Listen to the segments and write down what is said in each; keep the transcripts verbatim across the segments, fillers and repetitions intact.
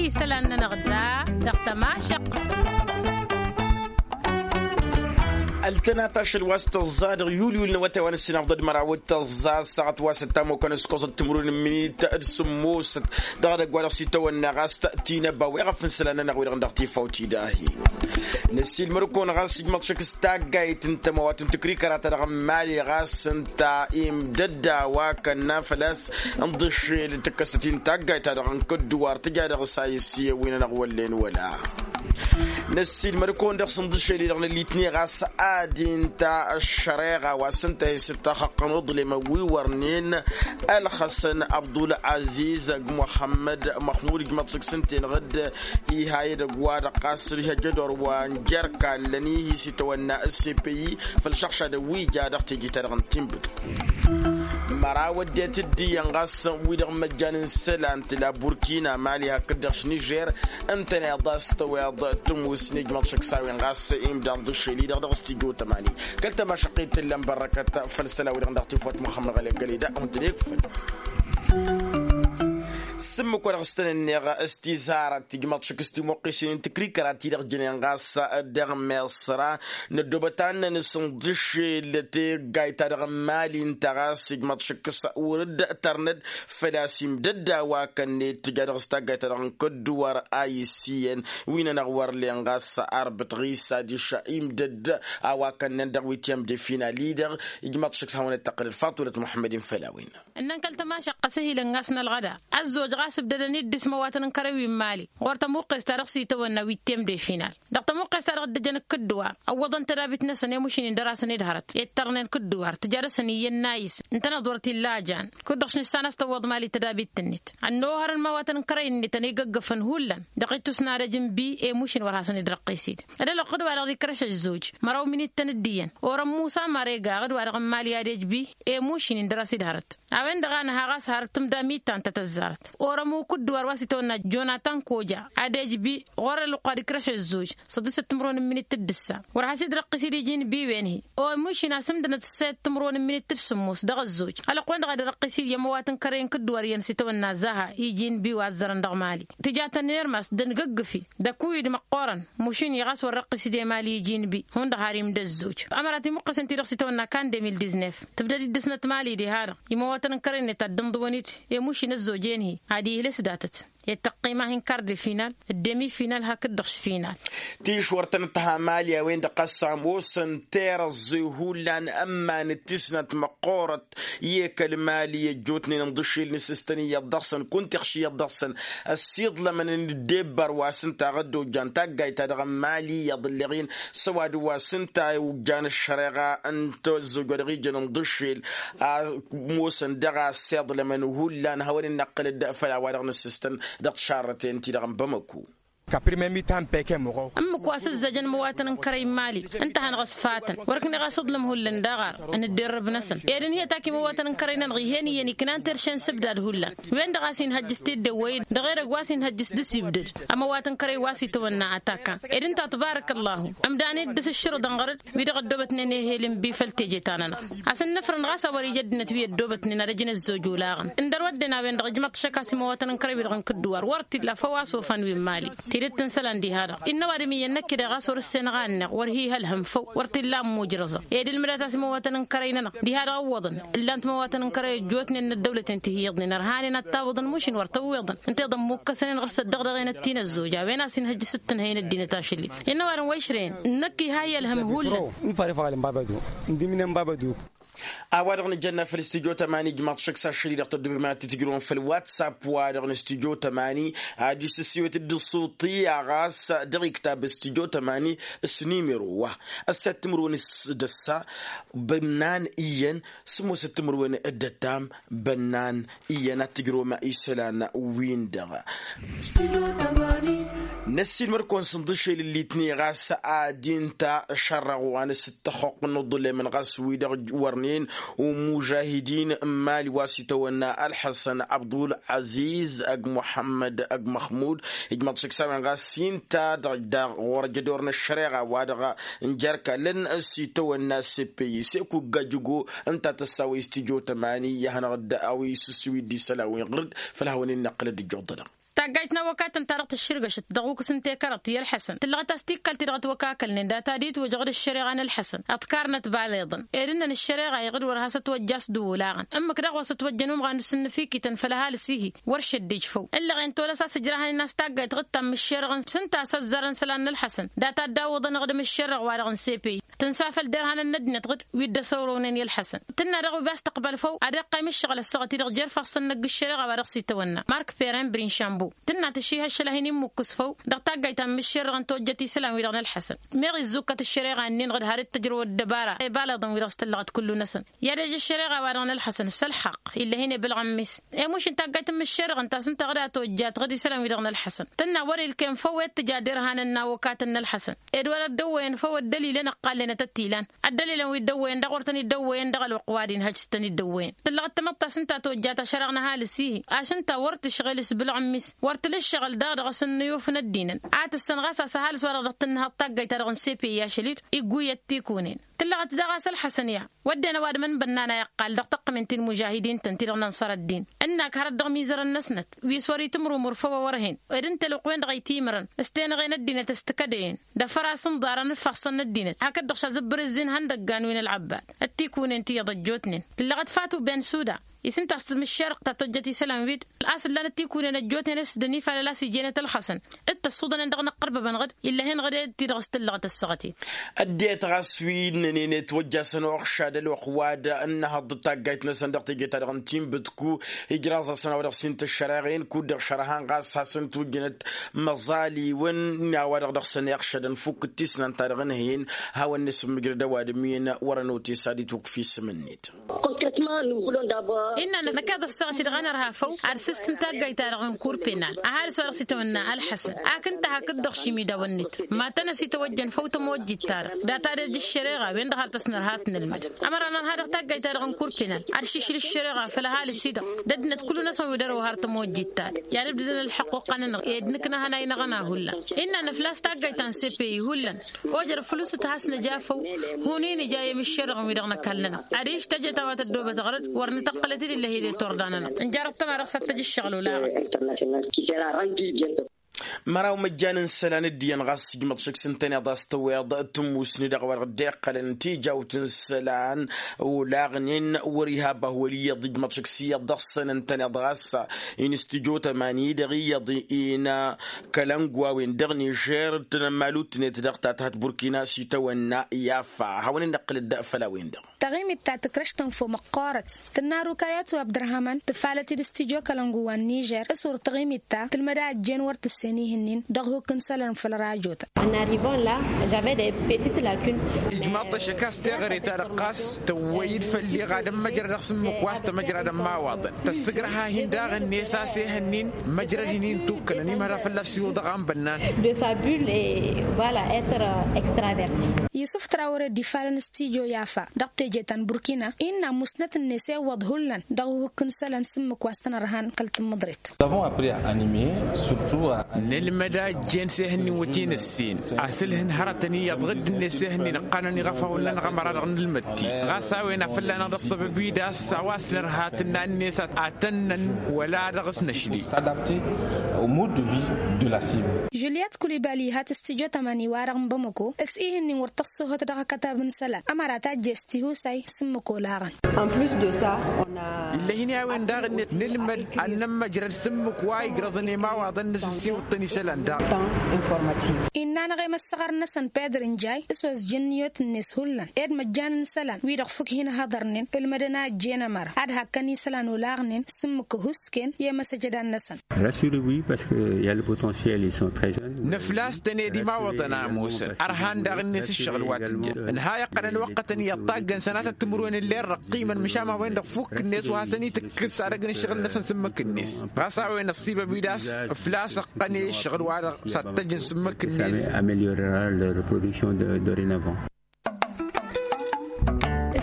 Isălan-nănăɣ da dăɣ-tămašăq. Ăltănat ašăl wa s-tăẓẓa dăɣ-yul-yul n-awătay wa n-ǝssin afḍăd măraw d-tăẓẓa s-saɣăt wa s-ăttamokăn s-koẓăt timǝrwen n-minit d-sǝmmosăt dăɣ-edăgg wa dăɣ-s itawănna ɣas tinăba weɣăf n-isălan-nănăɣ wi-dăɣ n-dăɣ-tifawt idahi. Năssiilmăr-kăwăn ɣas ijmăḍ šăkk s-taggayt n-tămawat n-tǝkrikăra-ta-dăɣ n-mali ɣas ǝnta imdădda wa kănna făl-a-s n-ḍǝššel tǝkkăsăt-in taggayt-ta-dăɣ n-kădduwar tǝja dăɣ-s a isiyăn wi-nănăɣ wăllen wăla. Năssiilmăr-kăwăn dăɣ-s n-ḍǝššel-i-dăɣ n-ăllitne ɣas ad-inta ăššăreɣa wa s-ǝnta a hi-s ǝttaxăqqăn uḍlem wi wărnen ălxăsăn abdul-aziz g-muxămmăd măxmud ijmăḍ šăkk s-ǝnta-enăɣ-dd iha edăgg-wa-dăɣ ɣas ǝlhăjădor wa n-jer-kallăn ihis itawănna s-e-peyi făll-išăɣšadăn wi ija dăɣ-teje-ta-dăɣ n-tinbǝd. Măraw ăddinăt dd-iyyăn ɣas wi-dăɣ măjjan n-isălan tǝla burkina mali hakd-dăɣ s-nižer. Ǝntăneḍ a-s tăweḍ tǝmmus n-ijmăḍ šăkk s-a-wen ɣas imdan d-ašăl-i-dăɣ dăɣ-s tijo tămani kăl-tămašăqqit tǝllăn bărrăkăt făll-isălan wi-dăɣ n-dăɣ-tifwăt muxămmăd ɣăleb găleda. Hundăned făll-s ǝmmǝk wa dăɣ-s tăn-ǝnneɣ s-tizarăt tijmăḍ šăkk s-timuqqisen n-tǝkrikăra ti-dăɣ jănen ɣas dăɣ-meṣra n-ăddoobăt ad-năn-sǝnḍǝšel teggayt-ta-dăɣ n-mali ǝnta ɣas ijmăḍ šăkk s-wăr-dd-tărnăd făl-a-s imdădda wa kănned tǝja dăɣ-s taggayt-ta-dăɣ n-kădduwăr a iss iyyăn wi-nănăɣ wăr len ɣas arbăt ɣisa diša imdădd a-wa kănnen dăɣ-witiyăm de final-i-dăɣ. Ijmăḍ šăkk s-hawăn-dd-tăqqǝlăd faṭulăt muḥămmăd-in făll-a-wen. Ǝnnăn kăl-tămašăqqăs ăhilăn ɣas n-ălɣăda ăzzoj ɣas ǝbdădăn-dd dăɣ-s imăwatăn n-kărăy wi n-mali ɣur-tămuqqest-ta-dăɣ s-itawănna wi t-temde final. Dăɣ-tămuqqest-ta-dăɣ dd-ăjăn ǝkkǝddǝwar ăwwăḍăn tădabit-năsăn i-mušin-in dăr-asăn ed hărăt ettărnen kǝddǝwar tǝja dăɣ-săn iyyăn n-a-is ǝntăneḍ wăr t-illa a jan. Kud-dăɣ š-nǝssan a-s tăwwăḍ mali tădabit-net ănnuhărăn imăwatăn n-kărăy-net ănigăggăfăn hullan dăɣ-ittus n-ad-ăj n-bi i-mušin wăr hasăn-dd-răqqis-dd. Ad-ălwăqq d-wa-dăɣ d-ikrăš ăzzoj măraw minit-tăn dd-iyyăn orăn musa măregaɣ d-wa-dăɣ n-mali ad-ej bi i-mušin-in dăr-a-s dd-hărăt. A-wen-dăɣ a nǝha ɣas hărăt tǝmda mitan ta tăzzarăt orămu kǝddǝwar wa s-itawănna jonatan koja ad-ej bi ɣur-ălwăqq wa d-ikrăš ăzzoj. Săḍisăt timǝrwen n-minit d-ǝssa wăr has-dd-răqqis-dd iji n-bi wen-hi. O mušin a-s ǝmdănăt ǝssayăt timǝrwen n-minit d-sǝmmos dăɣ-ăzzoj ălwăqq-wen-dăɣ a dd-răqqis-dd i-ămăwat n-kărăy n-kǝddǝwar iyyăn s-itawănna zaha iji n-bi wa ăzzărăn dăɣ-mali. Tija tănnermas d-ăngǝggǝfi d-ăkuy d-măqqoorăn mušin-i ɣas wăr răqqis-dd i-mali iji n-bi hundăɣ har imdăzzoj. Ămărat imuqqăsen-ti-dăɣ s-itawănna kan de mil diznef tǝbdăd-dd dăɣ-snăt mali diha-dăɣ. Imăwatăn n-kărăy-net ad-dd-ǝnḍǝwăn-dd i-mušin ăzzoj enhi ad-ihǝlǝs datăt i-tăqqima hin-kar de final d-demi final hakd-dăɣ s-final. Tišwăr-tăn ǝttăha mali a-wen-dăɣ ɣas ămoosăn terăẓẓe hullan ămman d-tisnăt măqqoorăt i-kăl-mali ăjjootnen ǝnḍǝššel n-asǝstăn iyyăḍ dăɣ-săn kunta iɣš iyyăḍ dăɣ-săn ăssiiḍlămăn n-ăddebbăr wa s-ǝnta aɣădda ojjan taggayt-ta-dăɣ n-mali iyyăḍ ǝlleɣ-in s-ăwadǝm wa s-ǝnta ojjan ăššăreɣa n-tăzzoj wa dăɣ-ijăn ǝnḍǝššel. Ămoosăn dăɣ-a ăssiiḍlămăn hullan hawăn-in-năqqǝlăd făll-a-wa-dăɣ n-asǝstăn dăɣ-tišarrăten-ti-dăɣ n-bamăku. Ǝmmǝk wa s-ǝzzăjăn imăwatăn n-kărăy n-mali ǝnta a hanăɣ-ăsfatăn wăr ǝkneɣ a-s iḍlǝm hullan d-aɣar n-ǝdderrăb-năsăn ed ǝnhǝyăt ak imăwatăn n-kărăy-nănăɣ ih'-en iyyăn iknan terše n-isǝbdad hullan. Wen-dăɣ a-s inhăjjǝs teddewăy-dd dăɣ-edăgg wa s-inhăjjǝs dăr-s ibdăd ămăwat n-kărăy wa s-itawănna atakan ed ǝnta tbarăk ăllahu. Ǝmdan-dd dăr-s ǝššǝrǝḍăn ɣăr-dd wi-dăɣ ăddoobătnen ehel n-bi făll-teje-ta-nănăɣ. A-s ǝnnăfrăn ɣas a wăr-ija ăddinăt wi ăddoobătnen ad-ăjǝn ăzzoj olaɣăn ǝndăr wădden a-wen-dăɣ ǝjmăḍ-t šăk a-s imăwatăn n-kărăy wi-dăɣ n-kǝddǝwar wăr t-illa făw a-s ofan wi n-mali. Tidǝt n-isălan diha-dăɣ innă ăwadǝm iyyăn năkk-i-dăɣ ɣas wăr-ǝssenăɣ a ǝnneɣ wăr hi-ihălhăm făw wăr t-illa ămmujrăẓăm. Ed ǝlmǝdat a-s imăwatăn n-kărăy-nănăɣ diha-dăɣ ǝwwăḍăn ǝllan-t imăwatăn n-kărăy ăjjootnen n-ăddăwlăten ti hi-iyyăḍnen ărhanen ad-tawǝḍăn mušin wăr tăwwiḍăn ǝnta iḍăn mukkăsnen ɣur-s ăddăɣ dăɣ-enăt ti n-ăzzoj a-wen a-s inhăjjǝs d-tǝnhăy n-ăddinăt ašăl-i. Innă ăwadǝm wa išrăyăn ǝnnăk iha i-ălhăm hullan. N-fare făɣal n-baba duk n-dimǝnǝn baba duk. A-wa-dăɣ nǝjănna făll-studyo tămani ijmaḍ šăkk s-ašăl-i-dăɣ tăddobem ad-t-tǝjrǝwăm făll-whatsapp-wa-dăɣ n-studyo tămani ad-dd-isǝssiwǝt d-iṣuṭi a ɣas dăɣ-iktăb studyo tămani. S-nimero wa ăssat timǝrwen d-ăssa bănnan iyyăn sǝmmosăt timǝrwen d-ăttam bănnan iyyăn ad-tǝjrǝwăm isălan-win-dăɣ. Năssiilmăr-kăwăn s-inḍǝšel ǝllitne ɣas ad-inta šărrăɣ wa n-asǝttăxxuqq n-uḍǝlem n-ɣas wi-dăɣ wărnen umužahidin n-mali wa s-itawănna ălḥăsăn abdul-aziz ăgg muḥămmăd ăgg măxmud. Ijmăḍ šăkk s-a-wen ɣas inta dăɣ-daɣ ɣur-ăjădor n-ăššăreɣa wa dăɣ-n jer-kallăn s-itawănna s-epeyis ekugga jăgo ǝnta tăssawăy s-tijo tămani i-ad-hanăɣ-dd a-wa isǝssiwǝy d-isălan-win ɣur-dd. Făll-hawăn-in-năqqǝlăd ǝjjuḍănăɣ. Taggayt n-awăkatăn-ta-dăɣ tǝššǝrgăšăt dăɣ-ukǝs n-tekăraḍt i-ălḥăsăn tǝllăɣăt a-s tikkăl-ti-dăɣ ătwăkakălnen data d-itwăjăɣ d-ǝššăreɣa n-ălḥăsăn. Ăḍkarnăt baleḍăn ed ǝnnăn ǝššăreɣa iɣǝd wăr has-ătwăjja a-s dd-uwǝlaɣăn ǝmmǝk daɣ wa s-ătwăjjăn umɣan n-asǝnnǝfikităn făll-ăhalǝs-ihi. Wăr šăddej făw ǝllăɣen tolăs a-s ǝjrahăn-in a-s taggayt ɣǝttam ǝššerăɣăn s-ǝnta a-s ăzzarăn isălan n-ălxăsăn data dd-awǝḍăn ăɣdǝm ǝššerăɣ-wa-dăɣ n-sepe tǝnsa făll-derhanăn n-ăddinăt ɣǝd wi dd-ăsăwrăwnen i-ălxăsăn. Tǝnna daɣ wi bi-a-s tăqbal făw ad-iqqayǝm ǝššăɣǝl ăssaɣăt-i-dăɣ jer-ifassăn n-ăgg ǝššăreɣa wa dăɣ-s itawănna mark peren brinšambu. Tǝnna tǝšših ašăl a hin-immǝkkǝs făw dăɣ-taggayt ta n-imǝššerrăɣăn tojjăt isălan-wi-dăɣ n-ălxăsăn. Meɣ izzukkat ǝššăreɣa-nin-dăɣ d-har-dd-tǝjrăw ăddăbara i-ibaleḍăn-wi-dăɣ s-tăllăɣăt kullu-năsăn. I-ad-ej ǝššăreɣa-wa-dăɣ n-ălxăsăn s-ălxaqq ill'-e-hin ebbălɣămmis. I-muš n-taggayt n-imǝššerrăɣăn ta s-ǝnta ɣǝd a tojjat ɣǝd isălan-wi-dăɣ n-ălxăsăn tǝnna wăr-ilkem făw i-ad-tǝja derhanăn n-awăkatăn n-ălxăsăn. Ed wăr-ăddăwwăyăn făw ăddălilăn ăqqallenăt ăttilan. Ăddălilăn wi dd-ăwwăyăn daɣ wăr tăn-dd-ăwwăyăn dăɣ-ălwăqq wa d-inhăj s-tăn-dd-ăwwăyăn tǝllăɣ ăttămăḍt ta s-ǝnta a tojjat ašăreɣ n-ăhalǝs-ihi. Ašǝnta wăr tǝšɣel s-bǝlɣǝmmis wăr tǝla ǝššăɣǝl daɣ dăɣ-s ǝnnǝyuf n-ăddinăn. A tǝssăn ɣas a-s ăhalǝs-wa-dăɣ dăɣ-tǝnnǝhăḍ taggayt-ta-dăɣ n-sepe i-ašăl-dd igguyăt tikunen. Tǝllăɣăt daɣ a-s ălxăsăn i-a wădden ăwadǝm n-bănnan a iqqal dăɣ-tăqqǝmen ti n-imužahidin-tăn ti-dăɣ n-ănṣăr ăddin. Ǝnnak hărăt dăɣ-imizărăn-năsnăt wi s-wăr-itǝmrǝmǝr făw a wăr-hen ed ǝnta ălwăqq-wen-dăɣ a itǝymărăn s-tenăɣe n-ăddinăt s-tǝkădăyăn. Dăfăr-as ǝnḍarăn ǝffaɣsăn n-ăddinăt hakd-dăɣ šazǝbbăr ǝzzin ihăndăggan wi n-ălɣăbbad. Ăttikunent iyyăḍ ăjjootnen tǝllăɣăt fatu ben suda. Isǝnta a-s tǝmǝššerăɣ ta tojjăt isălan-wi-dd a-s ǝllan ăttikunent ăjjootnen s-dănifalăl a-s ijenăt ălxăsăn. D-tăṣṣuḍănen dăɣ-inăqqărbăbăn ɣǝd ill'-e-hin ɣǝd e-d ti-dăɣ s-tǝllăɣăt ăssaɣăt-in. Ăddinăt ɣas wi ǝnnănen i-ătwăjjasăn uɣšad ălwăqq wa d-ǝnnăhăḍ d-taggayt-năsăn dăɣ-tinbǝtku. Ijraẓ-asăn a-wa dăɣ-s hin-tǝššăreɣen kud-dăɣ šărăhăn ɣas hasăn-tujjǝnăt măẓaliwăn. A-wa-dăɣ dăɣ-săn iɣšădăn fukk d-tisnant-ta-dăɣ ǝnhăyăn. Hawăn-nǝsǝmmǝjrăd ăwadǝm-in wăr-ănotesa d-itwǝkf isǝm-net. Innă năkk ad-ăssaɣăt-i-dăɣ a nărha făw ad-sǝstǝn taggayt-ta-dăɣ n-kur penal ăhalǝs wa dăɣ-s itawănna ălxăsăn. Ak ǝnta hakd-dăɣ šimidawăn-net ma tăn-ăsitawăjjăn făw tămojjit-ta-dăɣ data d-ejj ăššăreɣa-wen-dăɣ har tăsnărha ad-t-nǝlmǝd. Ămăra nărha dăɣ-taggayt-ta-dăɣ n-kur penal ad-šišǝl ăššăreɣa făll-ăhalǝs-i-dăɣ d-ăddinăt kullu-năsăn wi dăr-ăwwăh har tămojjit-ta-dăɣ i-ad-ǝbdǝdăn ălḥăqq oqqăn-nănăɣ ed nǝknăhăn a inăɣna hullan. Innă nǝflas taggayt ta n-sepeyi hullan ojăr făl-s t-has-nǝja făw. Hun-in ija i-imǝššerăɣăn-wi-dăɣ n-ăkall-nănăɣ adiš teje ta wa tăddoobăt ɣărăd wăr nǝtăqqălăt-dd ill'-e-hi d-e-turda-nănăɣ. Ǝnjarăt tăma dăɣ-s ad-t-ăj ǝššăɣǝl olaɣăn. Măraw măjjan n-isălan dd-iyyăn ɣas ijmăḍ šik s-ǝntăneḍ a-s tăweḍ tǝmmusni dăɣ-a-wa dăɣ-dd-iqqălăn tijawt n-isălan olaɣnen wăr-iha bahwăl iyyăḍ ijmăḍ šik s-iyyăḍ dăɣ-săn ǝntăneḍ ɣas. Instijo tămani dăɣ-iyyăḍ-in kălăngu a-wen dăɣ-nižer d-tanămmalutnet dăɣ-ta tăhăt burkina s-itawănna i-afa hawăn-in-nǝqqǝl dd-făll-a-wen-dăɣ. Taɣimit ta tǝkrăš tănfo măqqoorăt tǝnna rukayăt wa abdărhaman tǝfalăt-dd s-tijo kălăngu wa n-nižer s-wăr taɣimit ta tǝlmăd a ăjjeen wăr tǝssen ihǝnnin dăɣ-hukk n-isălan făll-rajotăn. Ijmaḍ-t ăššăk a-s teɣăre-ta-dăɣ ɣas tăwwăy-dd făll-iɣad n-măjrăd dăɣ-s ǝmmǝk wa s-tămăjradăn imawaḍăn tăssǝgrăh-ahin daɣ-net a-s ehăn-in măjrăd-in-in tukkălăn imhăra fălla-s iwǝḍăɣ a n-bănnan. Yusǝf trawăre dd-ifalăn s-tijo i-afa dăɣ-teje ta n-burkina innă musnăt-net iwwăḍ hullan dăɣ-uhǝkk n-isălan s-ǝmmǝk wa s-tăn-ărhan kăl-tǝmmǝḍret. Nǝlmăd a ăjjeen s-ehăn-in wăt-in-ǝssin asǝlhǝn hărătăn iyyăḍ ɣǝdd-net s-ehăn-in ǝqqanăn iɣăfawăn-nănăɣ ămăra-dăɣ nǝlmăd-t-in ɣas a-wen a fălla-năɣ dăɣ-săbăb-wi d-a-s a-wa s-nărha tǝnna-net a tănnăn wăla dăɣ-s năšli. Juliet kulibali iha tǝstijot ămani-wa-dăɣ n-bamăko s-ihǝnnin wăr tăṣṣohăt dăɣ-akătab n-isălan ămăra tajje s-tihusay s-ǝmmǝk olaɣăn. Ill'-e-hin i-a-wen daɣ-net nǝlmăd ad-nămmăjrăd s-ǝmmǝk wa igrăẓăn i-imawaḍăn n-asǝssiwǝḍ-tăn isălan daɣ. Innă-năɣ i-măssăɣăr-năsăn pedr n-jay s-ozjǝn niyot-net hullan ed măjjan n-isălan wi-dăɣ fukk hin-ăhhăḍărnen ǝlmădăn a ăjjeen ămăra ad-hakkăn isălan olaɣnen s-ǝmmǝk ăhuusken i-imăsăjădan-năsăn. Rassurez-vous parce que il y a le potentiel, ils sont très jeunes. Nǝflas-tăn ed imawăḍăn a ămoosăn ărhan daɣ-net ǝššăɣǝl wa tǝjjăn ǝnha iqqălăn ăwăqqătăn iyyăḍ taggăn sănatăt timǝrwen ǝllen răqqimăn măšan ma-wen-dăɣ fukk-net wa hasăn-itǝkkǝs ad-ăgg n-ǝššăɣǝl-năsăn s-ǝmmǝk-net ɣas a-wen ăṣṣibăb-wi d-a-s ǝflas ăqqăn i-ǝššăɣǝl-wa-dăɣ s-ad-t-ăjǝn s-ǝmmǝk-net. Améliorera leur production dorénavant.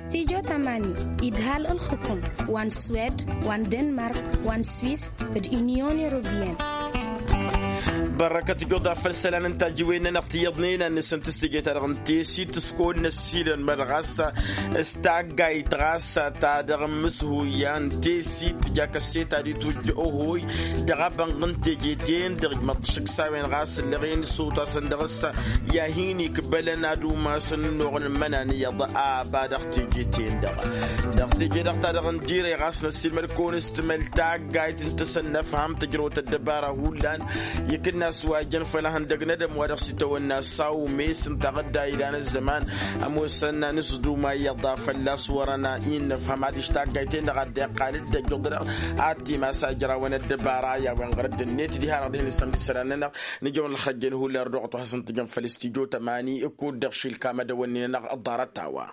Stijo tamani idhal ǝlxǝkǝm wa n-swed wa n-denmark wa n-swis d-unyon europeyenne. Bărrăkăt tǝjjuḍ a făl isălan n-tajǝwen-nănăɣ ti iyyăḍnen ad-nǝsǝntǝs teje-ta-dăɣ n-tesit s-kăwăn-năssiilăn măd ɣas s-taggayt ɣas ta dăɣ-imǝshuyya n-tesit tǝja kăsseta d-itwǝjja ohoy dăɣ-abănɣ n-teje-ten-dăɣ ijmăḍ-t šǝksawen ɣas ǝllăɣen s-otasăn dăɣ-s i-ad-hin-ikbălăn ad-umasăn ănnuɣ n-imănan iyyăḍ a ăba dăɣ-teje-ten-dăɣ. Dăɣ-teje-dăɣ ta dăɣ-n dire ɣas năssiilmăd-kăwăn s-timăl taggayt n-tasăn n-ăfham tǝjrăwăt ăddăbara hullan ikǝnnas wa ijăn făll-ehăndăg n-edăm wa dăɣ-s itawănna s-a umes ǝnta ɣǝdda ilan ăzzăman ămoosăn n-asduma iyyăḍ a fălla-s wărăn innăfhăm adiš taggayt-en-dăɣ ad-dd-iqqal dd-ăjjuḍ-dăɣ ad-t-imas a ijrawăn ăddăbara i-a-wen ɣur-dd-net diha-dăɣ dihen isămd isălan-nănăɣ. Nǝjăwăn ălxăjjăn hullan dăɣ-dd-wa hasăn-tǝjăn făll-s tijo tămani kud-dăɣ šilkam ad-ăwănnen-nănăɣ ăḍḍarăt a-wa.